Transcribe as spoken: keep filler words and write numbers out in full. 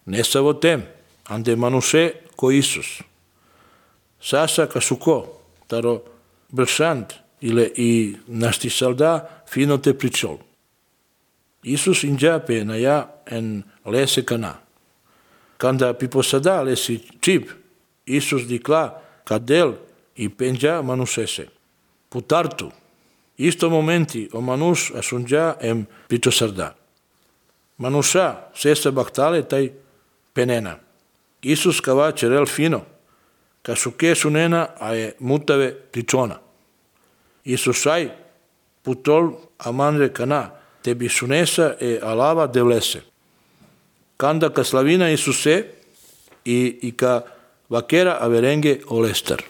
nessa votem, ande manuse co Isus. Sasa casuco, taro bersant, ile i nasti salda fino te priciol. Isus inja pe naya en lese cana. Kanda piposada lesi chip, Isus dicla cadel i penja manusese. Putartu, isto momenti o manus asunja em pitosarda. Manusa sesa baktale tai penena. Isus kava cerel fino, kasuke sunena ae mutave ticona. Isus ai putol amanre cana, tebi sunesa e alava devlese. Kanda ka slavina Isuse i, i ka vakera averenge olester.